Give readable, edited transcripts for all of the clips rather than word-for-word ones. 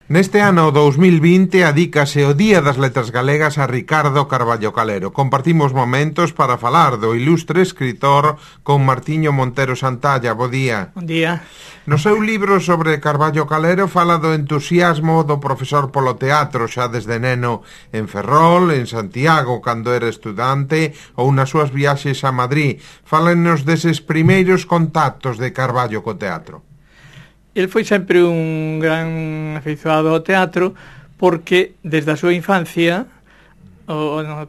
Neste ano 2020 adícase o Día das Letras Galegas a Ricardo Carballo Calero. Compartimos momentos para falar do ilustre escritor con Martiño Montero Santalla. Bo día. Bon día. No seu libro sobre Carballo Calero fala do entusiasmo do profesor polo teatro xa desde neno en Ferrol, en Santiago cando era estudante ou nas súas viaxes a Madrid. Fálenos deses primeiros contactos de Carballo co teatro. El foi sempre un gran afeizoado ao teatro porque desde a súa infancia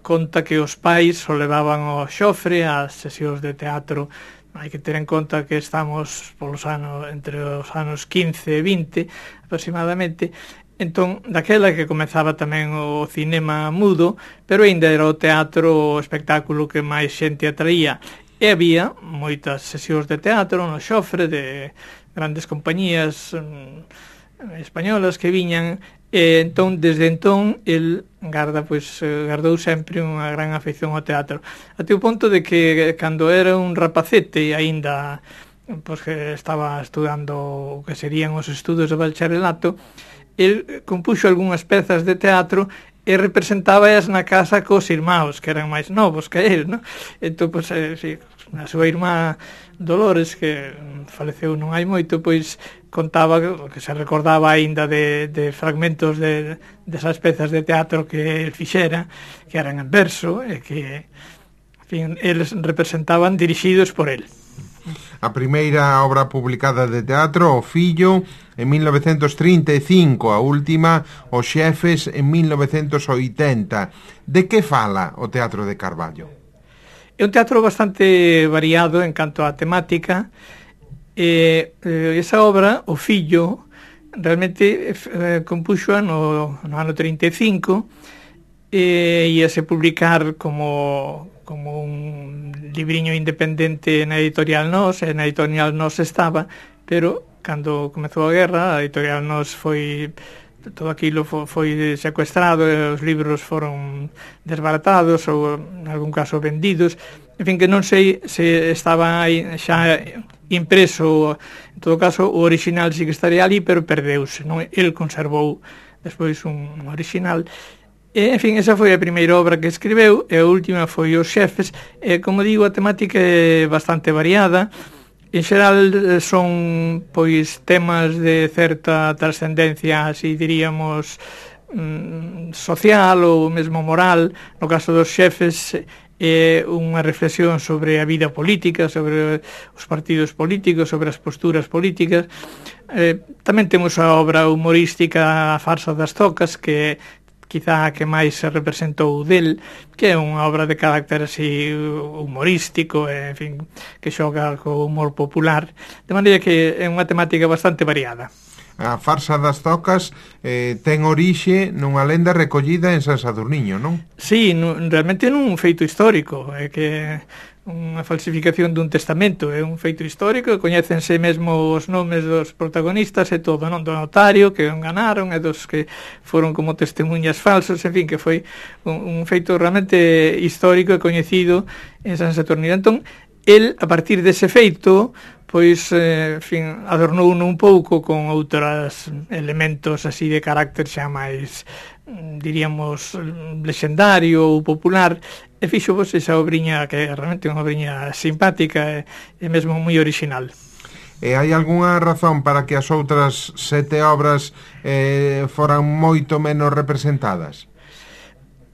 conta que os pais o levaban ao xofre ás sesións de teatro. Hai que ter en conta que estamos polos anos entre os anos 15 e 20 aproximadamente. Entón, daquela que comezaba tamén o cinema mudo, pero ainda era o teatro o espectáculo que máis xente atraía. E había moitas sesións de teatro no xofre de grandes compañías españolas que viñan, e entón, desde entón, el gardou sempre unha gran afeición ao teatro. Até o ponto de que, cando era un rapacete, aínda que estaba estudando o que serían os estudos de bacharelato, el compuxo algunhas pezas de teatro e representábaas na casa cos irmãos, que eran máis novos que el, non? Entón, sí, a súa irmá Dolores, que faleceu non hai moito, pois contaba que se recordaba aínda de fragmentos desas pezas de teatro que el fixera, que eran en verso, e que, en fin, eles representaban dirixidos por el. A primeira obra publicada de teatro, O Fillo, en 1935, a última, Os Xefes, en 1980. De que fala o teatro de Carballo? É un teatro bastante variado en canto á temática. Esa obra, O Fillo, realmente compuxoa no ano 35 e íase publicar como un libriño independente na editorial Nós, e na editorial Nós estaba, pero cando comezou a guerra, a editorial Nós foi... todo aquilo foi secuestrado, os libros foron desbaratados ou, en algún caso, vendidos. En fin, que non sei se estaba aí xa impreso. En todo caso, o original sí que estaría ali, pero perdeuse, non? El conservou despois un original. E, en fin, esa foi a primeira obra que escribeu, e a última foi Os Xefes. E, como digo, a temática é bastante variada. En xeral son pois temas de certa trascendencia, así diríamos, social ou mesmo moral. No caso dos Xefes é unha reflexión sobre a vida política, sobre os partidos políticos, sobre as posturas políticas. Tamén temos a obra humorística A Farsa das Tocas, que quizá a que máis se representou del, que é unha obra de carácter así humorístico, en fin, que xoga co humor popular, de maneira que é unha temática bastante variada. A Farsa das Tocas ten orixe nunha lenda recollida en San Sadurniño, non? Sí, realmente nun feito histórico, é que unha falsificación dun testamento, é un feito histórico, coñécense mesmo os nomes dos protagonistas e todo, non? Do notario que enganaron e dos que foron como testemunhas falsos, en fin, que foi un feito realmente histórico e coñecido en San Saturnino. Entón, el, a partir dese feito, pois, en fin, adornou un pouco con outros elementos así de carácter xa máis, diríamos, lexendario ou popular, e fixo vos esa obriña que é realmente unha obriña simpática e mesmo moi original. E hai algunha razón para que as outras 7 obras foran moito menos representadas?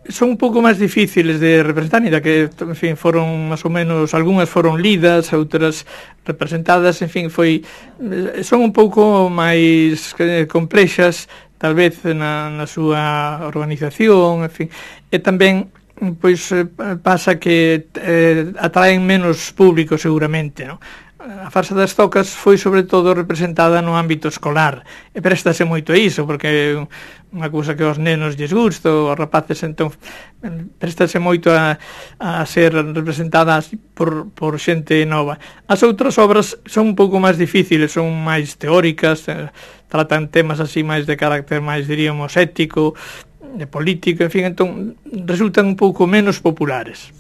Son un pouco máis difíciles de representar, ainda que, en fin, foron máis ou menos, algunhas foron lidas, outras representadas, en fin, son un pouco máis complexas, tal vez na súa organización, en fin, e tamén pois pasa que atraen menos público seguramente, non? A Farsa das Tocas foi sobre todo representada no ámbito escolar, e préstase moito a iso, porque é unha cousa que aos nenos lles gusta, aos rapaces, entón préstase moito a ser representada por xente nova. As outras obras son un pouco máis difíciles, son máis teóricas, tratan temas así máis de carácter máis, diríamos, ético, de político, en fin, entón resultan un pouco menos populares.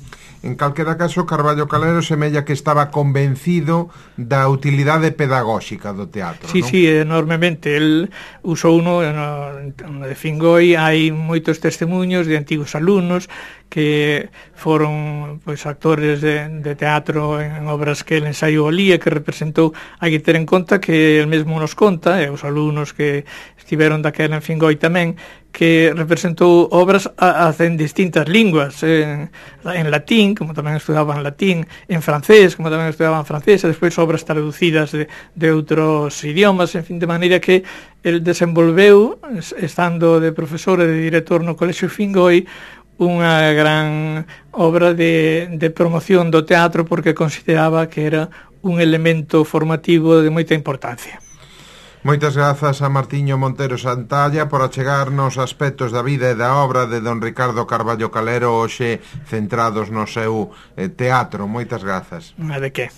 En calquera caso, Carballo Calero semella que estaba convencido da utilidade pedagóxica do teatro, sí, non? Sí, enormemente. El usou uno de Fingoi hai moitos testemunhos de antigos alumnos que foron pois actores de teatro en obras que el ensaiou ali e que representou. Hai que ter en conta que el mesmo nos conta, e os alumnos que estiveron daquela en Fingoi tamén, que representou obras en distintas linguas, en latín, como tamén estudaban latín, en francés, como tamén estudaban francés, e despois obras traducidas de outros idiomas, en fin, de maneira que el desenvolveu, estando de profesor e de director no Colexio Fingoi, unha gran obra de promoción do teatro, porque consideraba que era un elemento formativo de moita importancia. Moitas grazas a Martiño Montero Santalla por achegarnos aspectos da vida e da obra de don Ricardo Carballo Calero, hoxe centrados no seu teatro. Moitas grazas. De que?